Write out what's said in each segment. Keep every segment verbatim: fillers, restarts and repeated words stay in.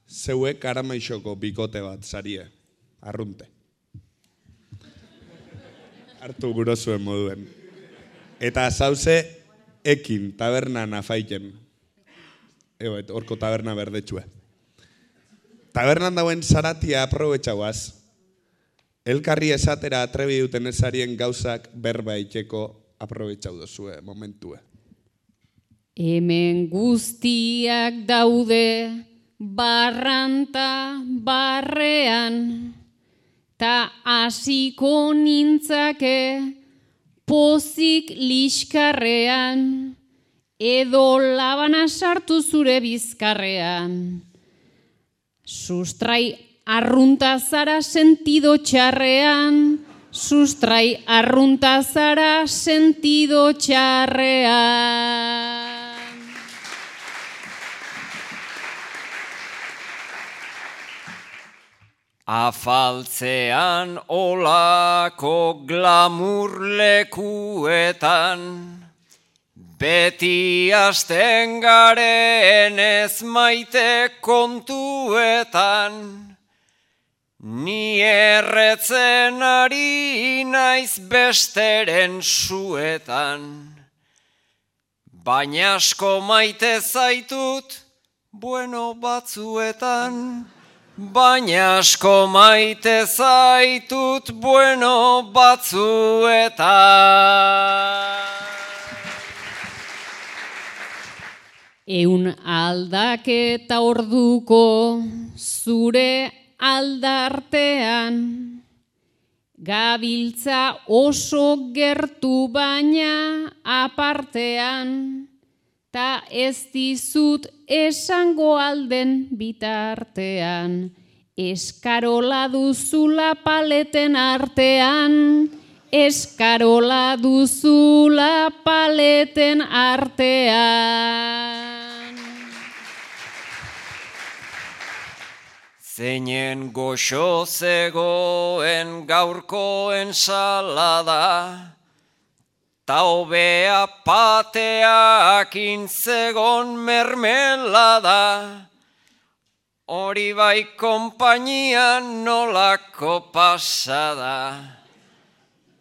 zeuek karamaixoko bikote bat sarie, arrunte. Hartu gurozuen moduen. Eta zauze ekin tabernan afaiken. Ego, horko taberna berdetxue. Tabernan dauen zaratia aprobetxauaz. Elkarri esatera atrebi duten ezarien gauzak berba itxeko aprobetxau dozue momentue. Hemen guztiak daude barranta barrean, ta hasiko nintzake pozik liskarrean, edo labana sartu zure bizkarrean. Sustrai arrunta zara sentido txarrean, sustrai arrunta zara sentido txarrean. Afaltzean olako glamur lekuetan, beti hasten garen ez maite kontuetan, ni erretzen ari naiz besteren suetan, baina asko maite zaitut bueno batzuetan, baina asko maite zaitut bueno batzuetan. Eun aldaketa orduko zure aldartean, gabiltza oso gertu baina apartean, ta ez dizut esango alden bitartean, eskarola duzula paleten artean, eskarola duzula paleten artean. Zeinen goxo zegoen gaurko ensalada, ta hobea pateakin zegon mermelada, hori bai konpainian nolako pasada.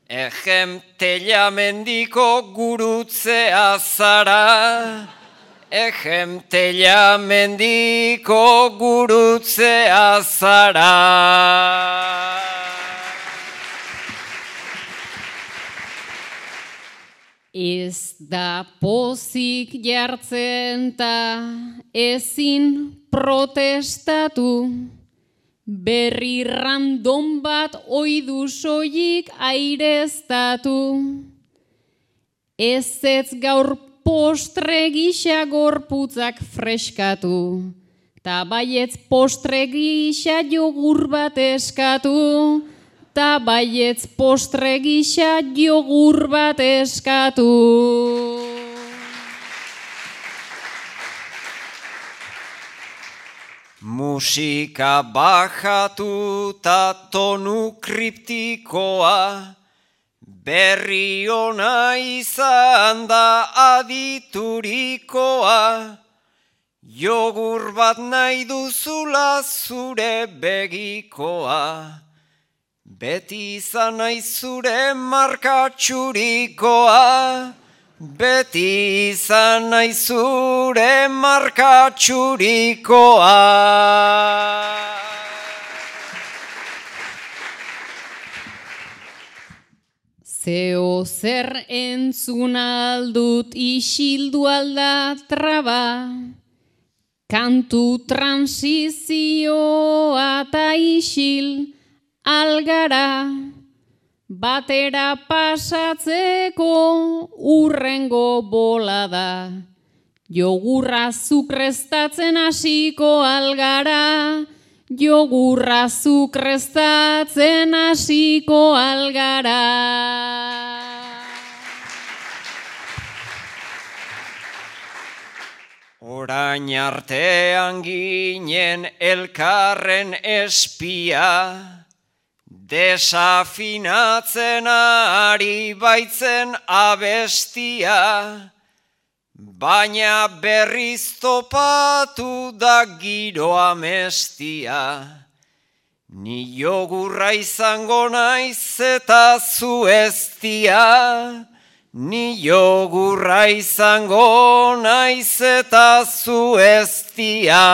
Ejem telamendiko gurutzea zara, ejem telamendiko gurutzea zara. Ez da pozik jartzen ta ezin protestatu, berri random bat oidu soilik aireztatu. Ez ez gaur postre gisa gorputzak freskatu, ta baietz postre gisa jogur bat eskatu, ta baietz postre gisa jogur bat eskatu. Musika bajatu ta tonu kriptikoa, berri ona izan da aditurikoa, jogur bat nahi duzula zure begikoa, beti izan nahi zure markatxurikoa, beti izan nahi zure markatxurikoa. Zeo zer entzun aldut isildu alda traba, kantu transizioa ta isil algara, batera pasatzeko urrengo bolada, jogurra zukrestatzen hasiko algara, jogurra zukrestatzen hasiko algara. Orain artean ginen elkarren espia, desafinatzen ari baitzen abestia, baina berriz topatu da giroa mestia. Ni jogurra izango naiz eta zu eztia, ni jogurra izango naiz eta zu eztia.